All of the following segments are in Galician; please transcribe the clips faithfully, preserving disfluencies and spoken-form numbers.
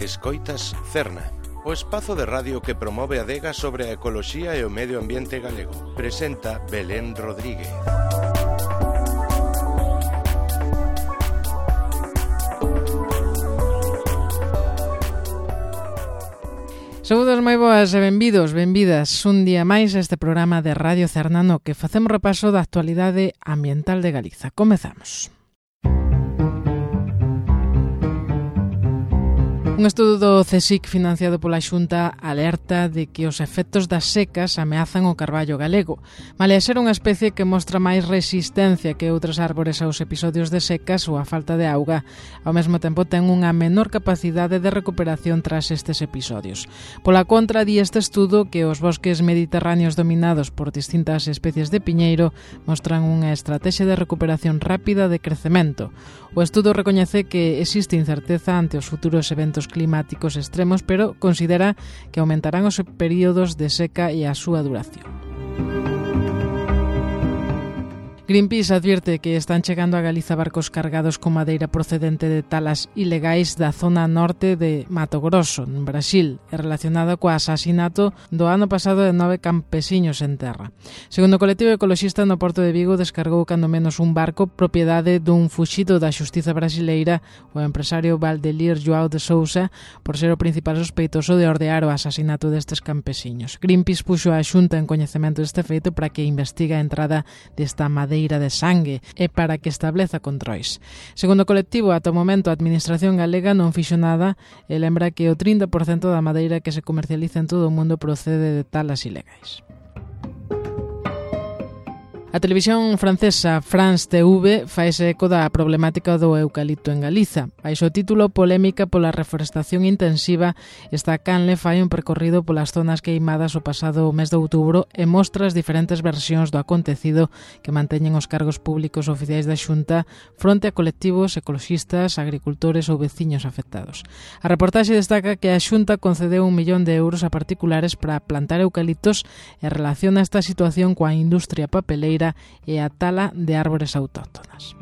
Escoitas Cerna, o espazo de radio que promove a adega sobre a ecoloxía e o medio ambiente galego. Presenta Belén Rodríguez. Saúdos moi boas e benvidos, benvidas un día máis a este programa de Radio Cerna no que facemos repaso da actualidade ambiental de Galiza. Comezamos. Un estudo do CSIC financiado pola Xunta alerta de que os efectos das secas ameazan o carballo galego. Malia ser unha especie que mostra máis resistencia que outras árbores aos episodios de secas ou a falta de auga, ao mesmo tempo ten unha menor capacidade de recuperación tras estes episodios. Pola contra, di este estudo que os bosques mediterráneos dominados por distintas especies de piñeiro mostran unha estrategia de recuperación rápida de crecemento. O estudo recoñece que existe incerteza ante os futuros eventos climáticos extremos, pero considera que aumentarán os períodos de seca e a súa duración. Greenpeace advierte que están chegando a Galiza barcos cargados con madeira procedente de talas ilegais da zona norte de Mato Grosso, en Brasil, e relacionada co asasinato do ano pasado de nove campesiños en terra. Segundo o colectivo ecoloxista, no Porto de Vigo descargou cando menos un barco propiedade dun fuxido da xustiza brasileira, o empresario Valdelir João de Sousa, por ser o principal sospeitoso de ordear o asasinato destes campesiños. Greenpeace puxo a Xunta en coñecemento deste feito para que investiga a entrada desta madeira de sangue e para que estableza controis. Segundo o colectivo, ata o momento a Administración galega non fixo nada e lembra que o trinta por cento da madeira que se comercializa en todo o mundo procede de talas ilegais. A televisión francesa France T V faise eco da problemática do eucalipto en Galiza. Baixo o título Polémica pola reforestación intensiva, esta canle fai un percorrido polas zonas queimadas o pasado mes de outubro e mostra as diferentes versións do acontecido que manteñen os cargos públicos oficiais da Xunta fronte a colectivos ecoloxistas, agricultores ou veciños afectados. A reportaxe destaca que a Xunta concedeu un millón de euros a particulares para plantar eucaliptos e relaciona esta situación coa industria papeleira e a tala de árbores autóctonas.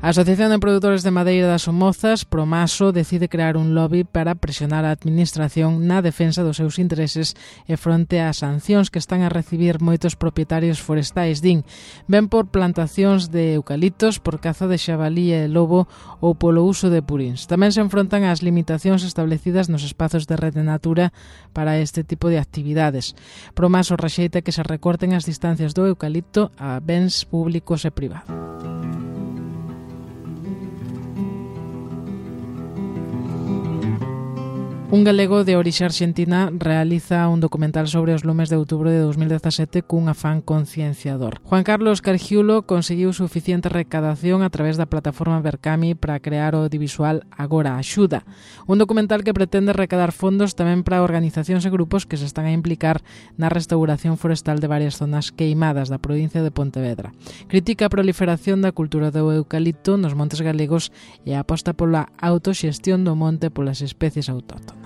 A Asociación de Produtores de Madeira das Somozas, Promaso, decide crear un lobby para presionar a Administración na defensa dos seus intereses e fronte ás sancións que están a recibir moitos propietarios forestais, din, ben por plantacións de eucaliptos, por caza de xabalí e lobo ou polo uso de purins. Tamén se enfrontan ás limitacións establecidas nos espazos de rede natura para este tipo de actividades. Promaso rexeita que se recorten as distancias do eucalipto a bens públicos e privados. Un galego de orixe arxentina realiza un documental sobre os lumes de outubro de dos mil dezasete cun afán concienciador. Juan Carlos Cargiulo conseguiu suficiente recadación a través da plataforma Berkami para crear o audiovisual Agora Axuda, un documental que pretende recadar fondos tamén para organizacións e grupos que se están a implicar na restauración forestal de varias zonas queimadas da provincia de Pontevedra. Critica a proliferación da cultura do eucalipto nos montes galegos e aposta pola autoxestión do monte polas especies autóctonas.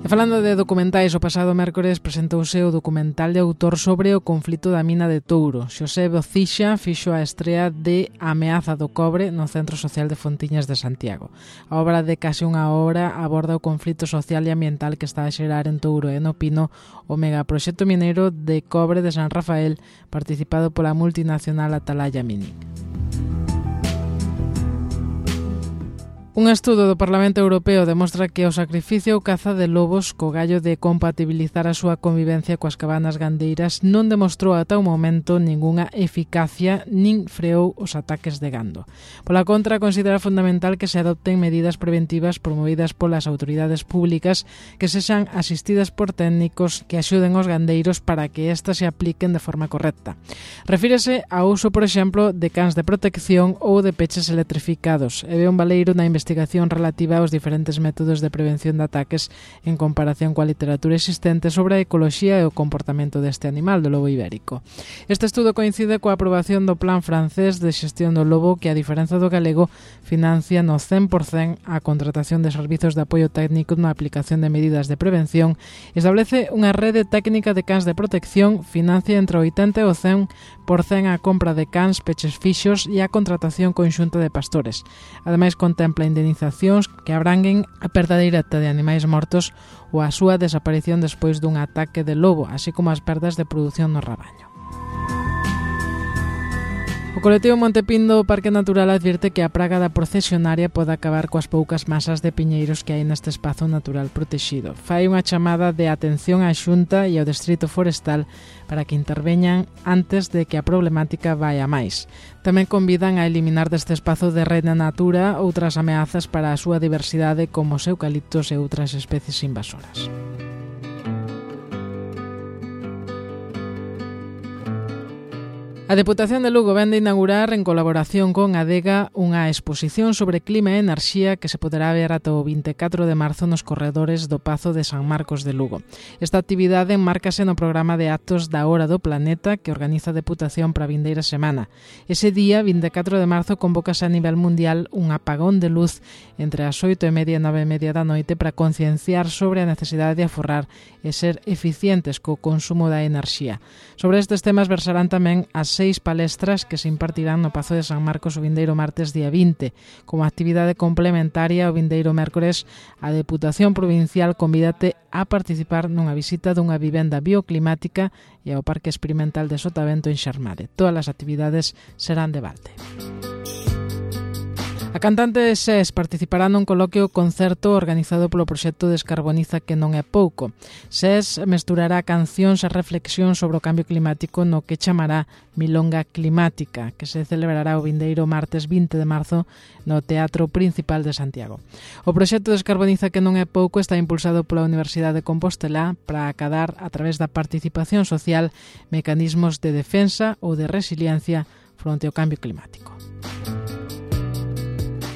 E falando de documentais, o pasado mércores presentouse o documental de autor sobre o conflito da mina de Touro. Xosé Bocixa fixo a estrea de A ameaza do cobre no Centro Social de Fontiñas de Santiago. A obra de case unha hora aborda o conflito social e ambiental que está a xerar en Touro e no Pino o megaproxecto mineiro de cobre de San Rafael, participado pola multinacional Atalaya Mining. Un estudo do Parlamento Europeo demostra que o sacrificio ou caza de lobos co gallo de compatibilizar a súa convivencia coas cabanas gandeiras non demostrou ata o momento ningunha eficacia nin freou os ataques de gando. Pola contra, considera fundamental que se adopten medidas preventivas promovidas polas autoridades públicas que sexan asistidas por técnicos que axuden aos gandeiros para que estas se apliquen de forma correcta. Refírese ao uso, por exemplo, de cans de protección ou de peches electrificados e ve un baleiro na investigación investigación relativa aos diferentes métodos de prevención de ataques en comparación coa literatura existente sobre a ecoloxía e o comportamento deste animal, do lobo ibérico. Este estudo coincide coa aprobación do Plan francés de xestión do lobo que, a diferenza do galego, financia no cen por cento a contratación de servizos de apoio técnico na aplicación de medidas de prevención, establece unha rede técnica de cans de protección, financia entre o oitenta e o cen por cento a compra de cans, peches fixos e a contratación conxunta de pastores. Ademais, contempla indemnizacións que abranguen a perda directa de animais mortos ou a súa desaparición despois dun ataque de lobo, así como as perdas de produción no rabaño. O colectivo Montepindo Parque Natural advirte que a praga da procesionaria pode acabar coas poucas masas de piñeiros que hai neste espazo natural protexido. Fai unha chamada de atención á Xunta e ao Distrito Forestal para que interveñan antes de que a problemática vai a máis. Tamén convidan a eliminar deste espazo de Reina Natura outras ameazas para a súa diversidade como os eucaliptos e outras especies invasoras. A Deputación de Lugo vén de inaugurar, en colaboración con Adega, unha exposición sobre clima e enerxía que se poderá ver ata o vinte e catro de marzo nos corredores do Pazo de San Marcos de Lugo. Esta actividade enmárcase no programa de actos da Hora do Planeta que organiza a Deputación para a vindeira semana. Ese día, vinte e catro de marzo, convócase a nivel mundial un apagón de luz entre as oito e media e nove e media da noite para concienciar sobre a necesidade de aforrar e ser eficientes co consumo da enerxía. Sobre estes temas versarán tamén as seis palestras que se impartirán no Pazo de San Marcos o vindeiro martes día vinte. Como actividade complementaria o vindeiro mércores, a Deputación Provincial convídate a participar nunha visita dunha vivenda bioclimática e ao Parque Experimental de Sotavento en Xermade. Todas as actividades serán de balde. A cantante Sés participará nun coloquio concerto organizado polo proxecto Descarboniza, que non é pouco. Sés mesturará cancións e reflexións sobre o cambio climático no que chamará Milonga Climática, que se celebrará o vindeiro martes vinte de marzo no Teatro Principal de Santiago. O proxecto Descarboniza, que non é pouco, está impulsado pola Universidade de Compostela para acadar, a través da participación social, mecanismos de defensa ou de resiliencia fronte ao cambio climático.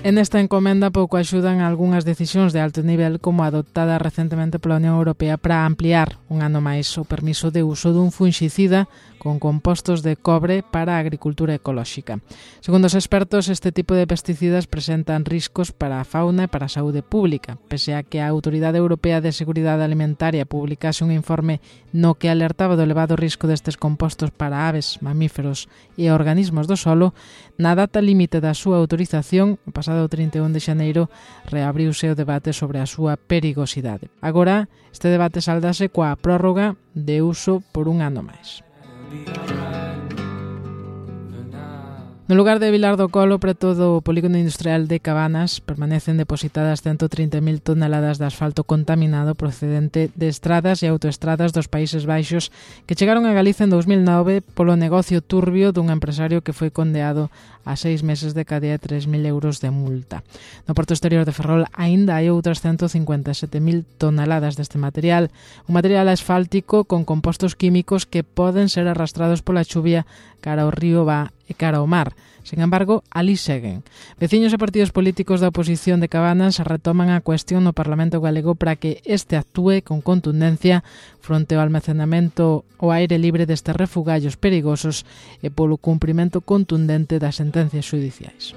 En esta encomenda pouco axudan algunhas decisións de alto nivel, como a adoptada recentemente pola Unión Europea para ampliar un ano máis o permiso de uso dun funxicida con compostos de cobre para a agricultura ecolóxica. Segundo os expertos, este tipo de pesticidas presentan riscos para a fauna e para a saúde pública, pese a que a Autoridade Europea de Seguridade Alimentaria publicase un informe no que alertaba do elevado risco destes compostos para aves, mamíferos e organismos do solo. Na data límite da súa autorización, o pasado trinta e un de xaneiro, reabriuse o debate sobre a súa perigosidade. Agora, este debate saldase coa prórroga de uso por un ano máis. No lugar de Vilar do Colo, preto do polígono industrial de Cabanas, permanecen depositadas ciento trinta mil toneladas de asfalto contaminado procedente de estradas e autoestradas dos Países Baixos que chegaron a Galicia en dous mil nove polo negocio turbio dun empresario que foi condeado a seis meses de cadea e tres mil euros de multa. No porto exterior de Ferrol aínda hai outras ciento cincuenta e sete mil toneladas deste material, un material asfáltico con compostos químicos que poden ser arrastrados pola chuvia cara ao río Ba e cara ao mar. Sen embargo, ali seguen. Veciños e partidos políticos da oposición de Cabanas retoman a cuestión no Parlamento galego para que este actúe con contundencia fronte ao almacenamento ao aire libre destes refugallos perigosos e polo cumprimento contundente das sentencias xudiciais.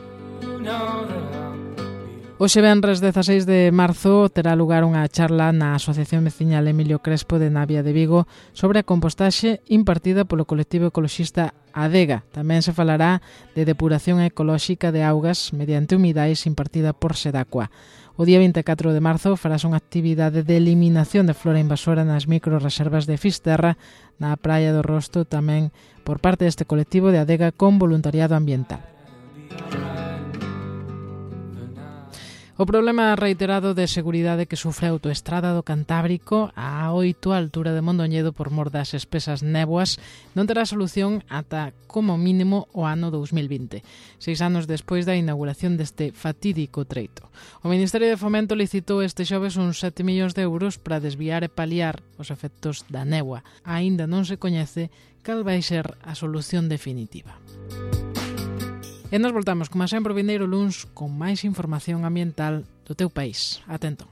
Hoxe venres dezaseis de marzo terá lugar unha charla na Asociación Veciñal Emilio Crespo de Navia de Vigo sobre a compostaxe impartida polo colectivo ecoloxista Adega. Tamén se falará de depuración ecolóxica de augas mediante humidais impartida por Sedacua. O día vinte e catro de marzo farás unha actividade de eliminación de flora invasora nas microreservas de Fisterra na Praia do Rosto, tamén por parte deste colectivo de Adega con voluntariado ambiental. O problema reiterado de seguridade que sufre a autoestrada do Cantábrico a oito, a altura de Mondoñedo, por mor das espesas néboas, non terá solución ata, como mínimo, o ano dous mil vinte, seis anos despois da inauguración deste fatídico treito. O Ministerio de Fomento licitou este xoves uns sete millóns de euros para desviar e paliar os efectos da néboa. Aínda non se coñece cal vai ser a solución definitiva. E nos voltamos, como sempre, o vindeiro luns con máis información ambiental do teu país. Atento.